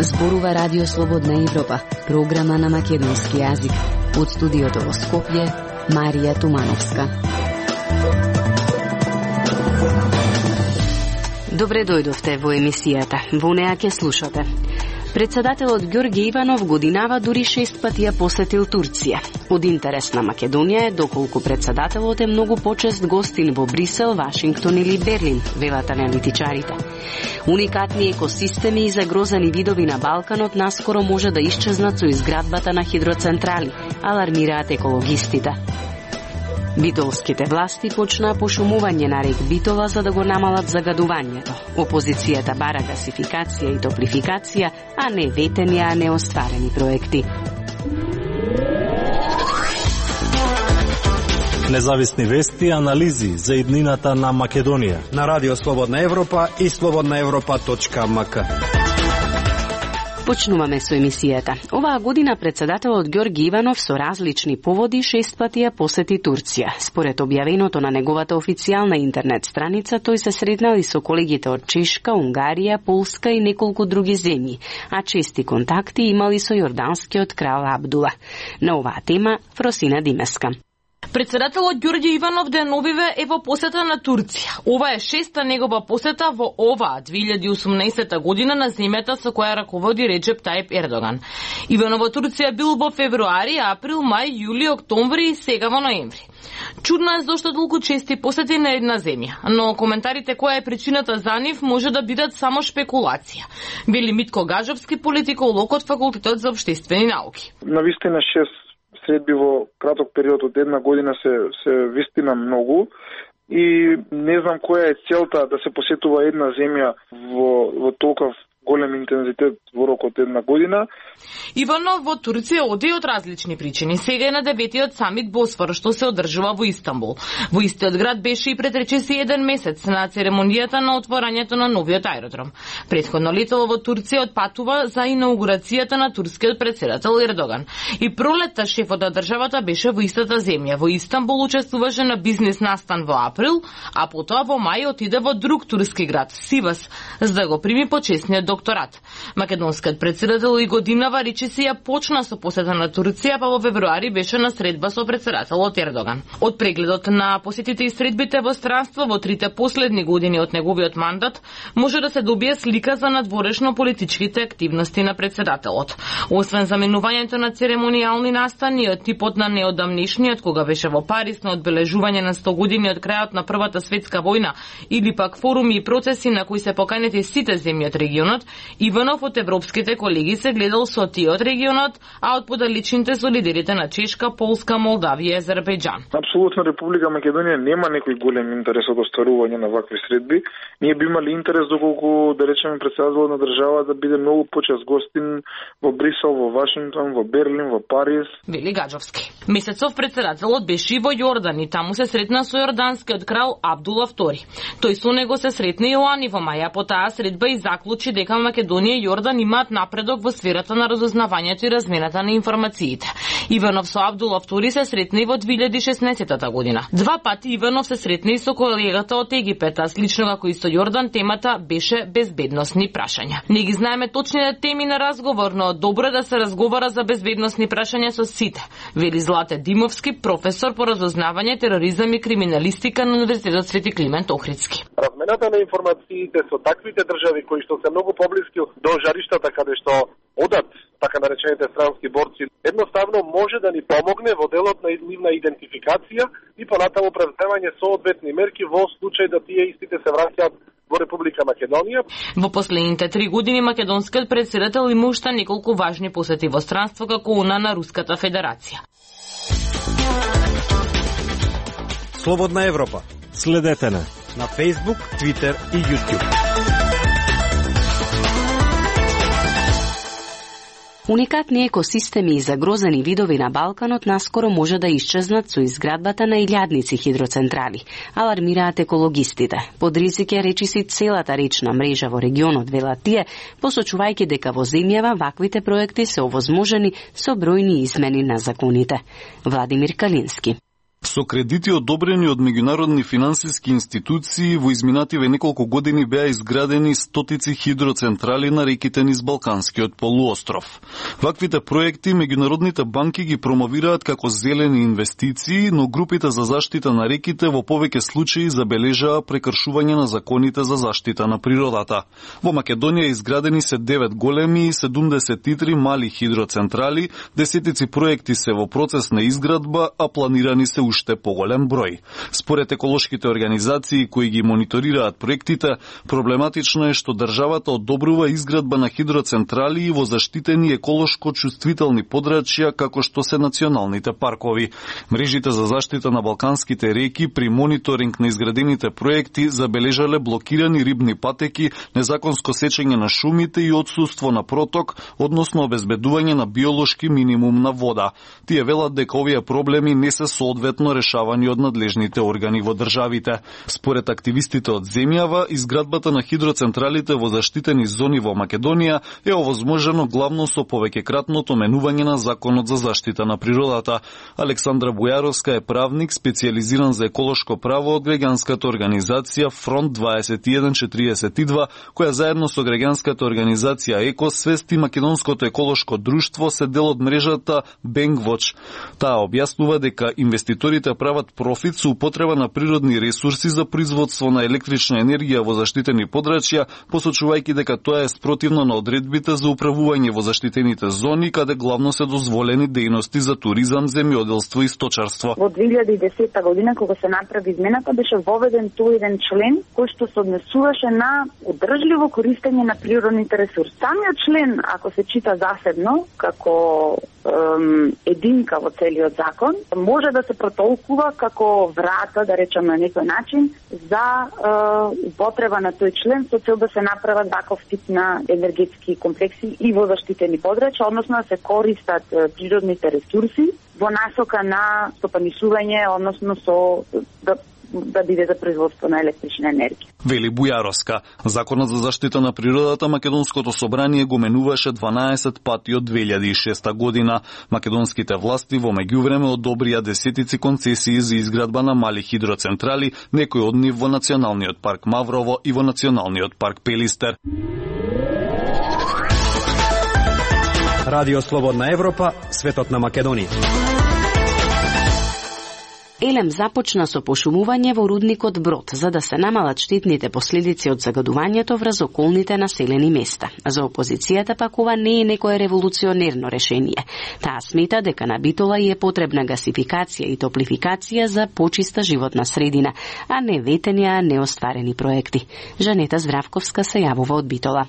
Зборува Радио Слободна Европа, програма на македонски јазик. Од студиото во Скопје, Марија Тумановска. Добре дојдовте во емисијата. Во неа ќе слушате. Председателот Ѓорѓе Иванов годинава дури 6 пати ја посетил Турција. Од интерес на Македонија е доколку председателот е многу почест гостин во Брисел, Вашингтон или Берлин, велат аналитичарите. Уникатни екосистеми и загрозени видови на Балканот наскоро може да исчезнат со изградбата на хидроцентрали, алармираат екологистите. Битолските власти почнаа пошумување на рек Битола за да го намалат загадувањето. Опозицијата бара гасификација и топлификација, а не ветени, а не остварени проекти. Независни вести и анализи за иднината на Македонија на Радио Слободна Европа и slobodnaevropa.mk. Почнуваме со емисијата. Оваа година председателот Ѓорѓе Иванов со различни поводи 6 пати ја посети Турција. Според објавеното на неговата официјална интернет страница, тој се сретнал и со колегите од Чешка, Унгарија, Полска и неколку други земји, а чести контакти имали со јорданскиот крал Абдула. На оваа тема Фросина Димеска. Председателот Ѓорѓе Иванов деновиве е во посета на Турција. Ова е 6-та негова посета во оваа 2018 година на земјата со која раководи Реджеп Тајип Ердоган. Иванов во Турција бил во февруари, април, мај, јули, октомври и сега во ноември. Чудно е зошто толку чести посети на една земја, но коментарите која е причината за нив може да бидат само шпекулација. Вели Митко Гажовски, политиколог од Факултетот за општествени науки. Навистина 6 средби во краток период од една година се вистина многу и не знам која е целта да се посетува една земја во толков голем интензитет во рок од една година. Иванов во Турција оди од различни причини. Сега е на 9-тиот самит Босфор, што се одржува во Истанбул. Во истиот град беше и пред речиси 1 месец на церемонијата на отворањето на новиот аеродром. Претходно летало во Турција отпатува за инаугурацијата на турскиот председател Ердоган. И пролетта шефот на државата беше во истата земја. Во Истанбул учествуваше на бизнес настан во април, а потоа во мај отиде во друг турски град, Сивас, за да го прими почесниот докторат. Македонскиот председател и годинава речиси ја почна со посета на Турција, па во февруари беше на средба со председателот Ердоган. Од прегледот на посетите и средбите во странство во 3 последни години од неговиот мандат, може да се добие слика за надворешно политичките активности на председателот. Освен заменувањето на церемонијални настани од типот на неодамнешниот, кога беше во Париз на одбележување на 100 години од крајот на Првата светска војна, или пак форуми и процеси на кои се поканети сите земји од регионот, Иванов од европските колеги се гледал со тие од регионот, а од подалечните со лидерите на Чешка, Полска, Молдавија и Азербејџан. Апсолутно Република Македонија нема некој голем интерес од остварување на вакви средби. Ние би имали интерес доколку, да речеме, председателот на држава да биде многу почест гостин во Брисел, во Вашингтон, во Берлин, во Париз. Вели Гаджовски. Месецов председателот беше и во Јордан и таму се сретна со јорданскиот крал Абдула II. Тој со него се сретна и лани во мај, а по таа средба и заклучи дека Македонија и Јордан имаат напредок во сферата на разузнавањето и размената на информациите. Иванов со Абдула II се сретна и во 2016 година. 2 пати Иванов се сретна и со колегата од Египет, а слично како и со Јордан темата беше безбедносни прашања. Не ги знаеме точните теми на разговор, но добро е да се разговара за безбедносни прашања со сите, вели Злате Димовски, професор по разузнавање, тероризам и криминалистика на Универзитетот Свети Климент Охридски. Размената на информациите со таквите држави кои што се многу поблиски до жариштата каде што одат така наречените странски борци, едноставно може да ни помогне во делот на нивна идентификација и понатаму преземање соодветни мерки во случај да тие истите се враќаат во Република Македонија. Во последните 3 години македонскиот председател има уште неколку важни посети во странство, како она на Руската Федерација. Слободна Европа. Следете на Facebook, Twitter и YouTube. Уникатни екосистеми и загрозени видови на Балканот наскоро може да исчезнат со изградбата на илјадници хидроцентрали, алармираат екологистите. Под ризик е речиси целата речна мрежа во регионот, велат тие, посочувајќи дека во земјава ваквите проекти се овозможени со бројни измени на законите. Владимир Калински. Со кредити одобрени од меѓународни финансиски институции, во изминативе неколку години беа изградени стотици хидроцентрали на реките низ Балканскиот полуостров. Ваквите проекти меѓународните банки ги промовираат како зелени инвестиции, но групите за заштита на реките во повеќе случаи забележаа прекршување на законите за заштита на природата. Во Македонија изградени се 9 големи и 73 мали хидроцентрали, десетици проекти се во процес на изградба, а планирани се уште поголем број. Според еколошките организации кои ги мониторираат проектите, проблематично е што државата одобрува изградба на хидроцентрали и во заштитени еколошко чувствителни подрачја како што се националните паркови. Мрежите за заштита на балканските реки при мониторинг на изградените проекти забележале блокирани рибни патеки, незаконско сечење на шумите и отсуство на проток, односно обезбедување на биолошки минимум на вода. Тие велат дека овие проблеми не се соодветно решавани од надлежните органи во државите. Според активистите од земјава, изградбата на хидроцентралите во заштитени зони во Македонија е овозможено главно со повеќекратното менување на Законот за заштита на природата. Александра Бујаровска е правник, специјализиран за еколошко право од граѓанската организација Фронт 2142, која заедно со граѓанската организација Екосвест и Македонското еколошко друштво се дел од мрежата Бенгвоч. Таа објаснува дека инвеститорите прават профит со употреба на природни ресурси за производство на електрична енергија во заштитени подрачја, посочувајќи дека тоа е спротивно на одредбите за управување во заштитените зони, каде главно се дозволени дејности за туризам, земјоделство и сточарство. Во 2010 година, кога се направи измената, беше воведен тој еден член кој што се однесуваше на одржливо користење на природните ресурси. Самиот член, ако се чита засебно, како единка во целиот закон, може да се протолкува како врата, да речем на некој начин, за употреба на тој член со цел да се направат таков тип на енергетски комплекси и во заштитени подрачја, односно да се користат природните ресурси во насока на стопанисување, односно со да биде за производство на електрична енергија. Вели Бујаровска. Законот за заштита на природата Македонското собрание го менуваше 12 пати од 2006 година. Македонските власти во меѓувреме одобрија десетици концесии за изградба на мали хидроцентрали, некои од нив во Националниот парк Маврово и во Националниот парк Пелистер. Радио Слободна Европа, светот на Македонија. Елем започна со пошумување во рудникот Брод, за да се намалат штетните последици од загадувањето врз околните населени места. За опозицијата пак ова не е некое револуционерно решение. Таа смета дека на Битола е потребна гасификација и топлификација за почиста животна средина, а не ветени, а неостварени проекти. Жанета Здравковска се јавува од Битола.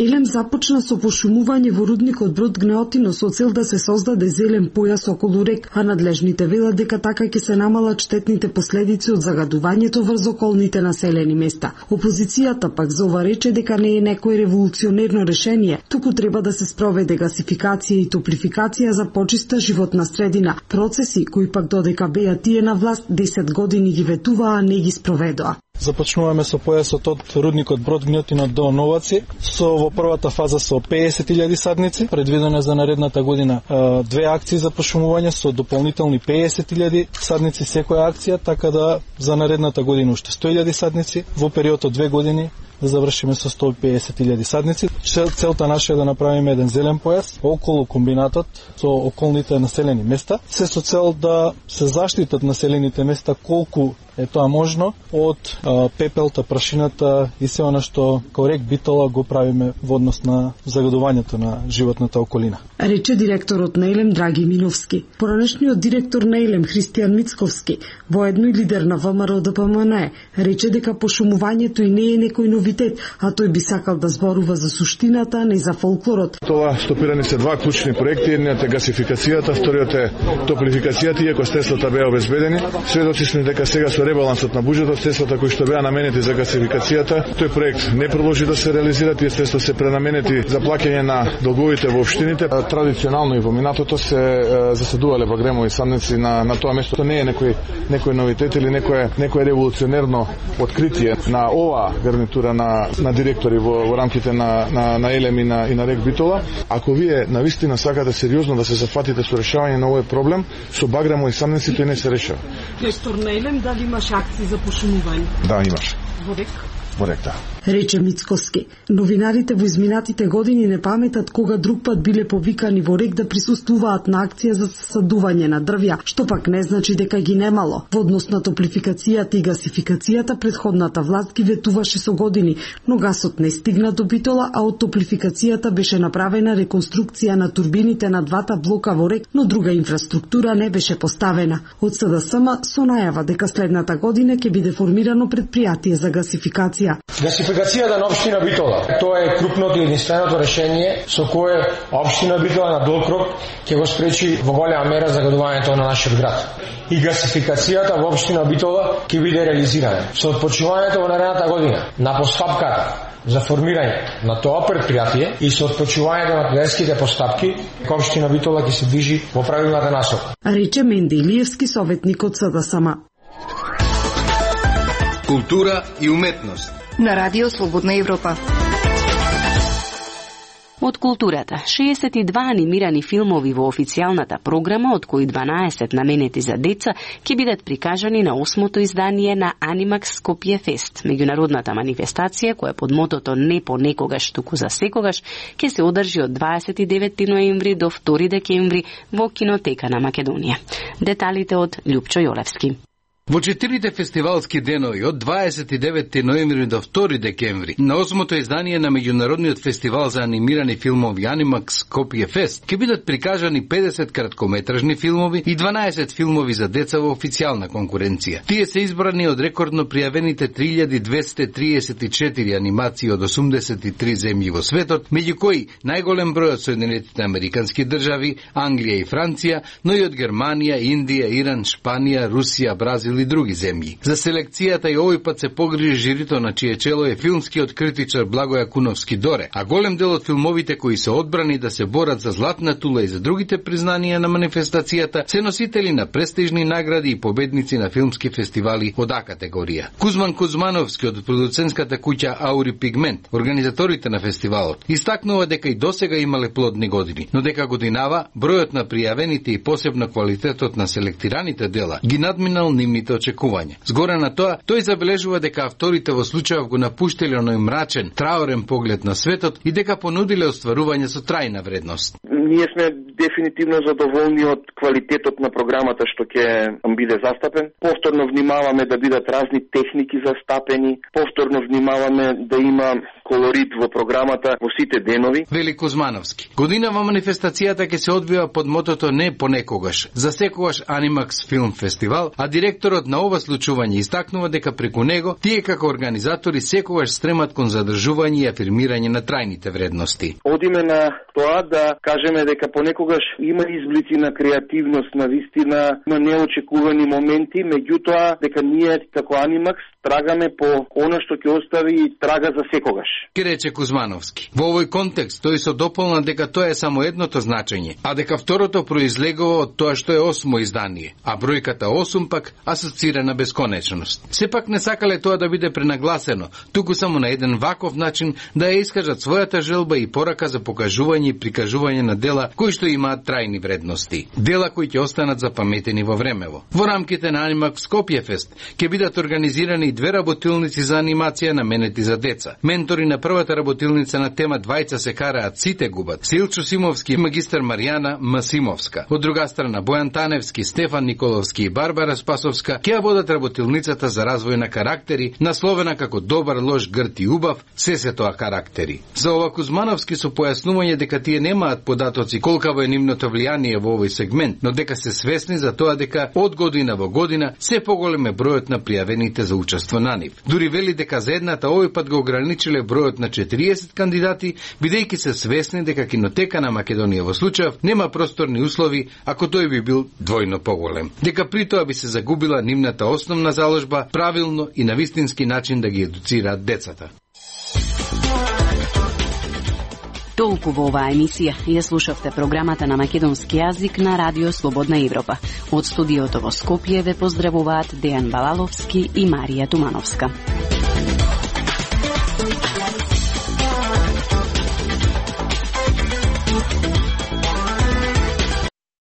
Елем започна со пошумување во рудникот Брод Гнеотино со цел да се создаде зелен појас околу рек, а надлежните велат дека така ќе се намалат штетните последици од загадувањето врз околните населени места. Опозицијата пак за ова рече дека не е некој револуционерно решение, туку треба да се спроведе гасификација и топлификација за почиста животна средина, процеси кои пак додека беа тие на власт 10 години ги ветуваа, а не ги спроведоа. Започнуваме со појасот од рудникот Брод Гнеотино до Новаци, во првата фаза со 50.000 садници, предвидено за наредната година две акции за пошумување со дополнителни 50.000 садници секоја акција, така да за наредната година уште 100.000 садници, во период од 2 години да завршиме со 150.000 садници. Целта наша е да направиме еден зелен појас околу комбинатот со околните населени места, се со цел да се заштитат населените места колку е тоа можно од пепелта, прашината и се она што као рек Битола го правиме во однос на загадувањето на животната околина. Рече директорот на Елем Драги Миновски. Поранешниот директор на Елем Христијан Мицковски, воедно и лидер на ВМРО ДПМН, рече дека пошумувањето и не е некој новитет, а тој би сакал да зборува за суштината, а не за фолклорот. Тоа стопирани се два клучни проекти, едниот е гасификацијата, вториот е топлификацијата, иако средствата беа обезбедени. Сведоци сме дека сега со ребалансот на буџетот, средствата кои што беа наменети за гасификацијата, тој проект не продолжи да се реализира, тие средства се пренаменети за плаќање на долговите во општините. Традиционално и во минатото се засадувале багремови садници на тоа место. Тоа не е некој новитет или некој револуционерно откритие на оваа гарнитура избора на директори во рамките на Елем и на Рек Битола. Ако вие навистина сакате сериозно да се зафатите со решавање на овој проблем, со баграмо и самници тој не се решава. Директор на Елем, дали имаш акции за пошумување? Да, имаш. Во Рек? Во Рек, да. Рече Мицкоски. Новинарите во изминатите години не паметат кога друг пат биле повикани во Рек да присуствуваат на акција за садување на дрвја, што пак не значи дека ги немало. Во однос на топлификацијата и гасификацијата, предходната власт ги ветуваше со години, но гасот не стигна до Битола, а од топлификацијата беше направена реконструкција на турбините на двата блока во Рек, но друга инфраструктура не беше поставена. Од СДСМ со најава дека следната година ќе биде формирано предпријатие за гасификација. Гасификацијата на општина Битола, тоа е крупното и единственото решение со кое општина Битола на долг рок ќе го спречи во голема мера загадувањето на нашиот град. И гасификацијата во општина Битола ќе биде реализирана. Со отпочнувањето во наредната година на постапката за формирање на тоа предпријатие и со отпочнувањето на тендерските постапки, општина Битола ќе се движи во правилната насока. Рече Менди Илиевски, советник од СДСМ. Култура и уметност на Радио Слободна Европа. Од културата, 62 анимирани филмови во официјалната програма, од кои 12 наменети за деца, ќе бидат прикажани на 8-то издание на Animax Skopje Fest, меѓународната манифестација која под мотото "Не понекогаш, туку за секогаш" ќе се одржи од 29 ноември до 2 декември во Кинотека на Македонија. Деталите од Љупчо Јолевски. Во 4 фестивалски денови од 29 ноември до 2 декември на 8-то издание на меѓународниот фестивал за анимирани филмови Animax Skopje Fest ќе бидат прикажани 50 краткометражни филмови и 12 филмови за деца во официјална конкуренција. Тие се избрани од рекордно пријавените 3234 анимации од 83 земји во светот, меѓу кои најголем број од Соединетите Американски држави, Англија и Франција, но и од Германија, Индија, Иран, Шпанија, Русија, Бразил и други земји. За селекцијата и овој пат се погрижи жирито на чие чело е филмскиот критичар Благоја Куновски Доре, а голем дел од филмовите кои се одбрани да се борат за златна тула и за другите признанија на манифестацијата се носители на престижни награди и победници на филмски фестивали од А категорија. Кузман Кузмановски од продуцентската куќа Аури Пигмент, организаторите на фестивалот, истакнува дека и досега имале плодни години, но дека годинава бројот на пријавените и посебно квалитетот на селектираните дела ги надминал нивните очекувања. Згоре на тоа, тој забележува дека авторите во случајов го напуштиле оној мрачен, траорен поглед на светот и дека понудиле остварување со трајна вредност. Ние сме дефинитивно задоволни од квалитетот на програмата што ќе биде застапен. Повторно внимаваме да бидат разни техники застапени, повторно внимаваме да има колорит во програмата во сите денови. Вели Кузмановски. Годинава манифестацијата ќе се одвива под мотото "Не понекогаш", за секогаш Animax Film Фестивал, а директорот на ова случување истакнува дека преку него тие како организатори секогаш стремат кон задржување и афирмирање на трајните вредности. Одиме на тоа да кажеме дека понекогаш има изблици на креативност, на вистина, на неочекувани моменти, меѓутоа дека ние како Animax трагаме по она што ќе остави трага за секогаш. Ке рече Кузмановски. Во овој контекст тој се дополна дека тоа е само едното значење, а дека второто произлегува од тоа што е 8-мо издание, а бројката 8 пак асоцира на бесконечност. Сепак не сакале тоа да биде пренагласено, туку само на еден ваков начин да ја искажат својата желба и порака за покажување и прикажување на дела кои што имаат трајни вредности. Дела кои ќе останат запаметени во времево. Во рамките на Animax Skopje Fest ќе бидат организирани 2 работилници за анимација наменети за деца. Ментори на првата работилница на тема "Двајца се караат, сите губат" Силчо Симовски и магистар Маријана Масимовска. Од друга страна Бојан Таневски, Стефан Николовски и Барбара Спасовска ќе водат работилницата за развој на карактери, насловена како "Добар, лош, грд и убав, се тоа карактери". За ова Кузмановски со појаснување дека тие немаат податоци колкаво е нивното влијание во овој сегмент, но дека се свесни за тоа дека од година во година се поголем е бројот на пријавените за учество на нив. Дури вели дека за едната овој пат го ограничиле бројот на 40 кандидати, бидејќи се свесни дека Кинотека на Македонија во случајов нема просторни услови ако тој би бил двојно поголем. Дека при тоа би се загубила нивната основна заложба правилно и на вистински начин да ги едуцираат децата. Толку во оваа емисија. Ја слушавте програмата на македонски јазик на Радио Слободна Европа. Од студиото во Скопје ве поздравуваат Дејан Балаловски и Марија Тумановска.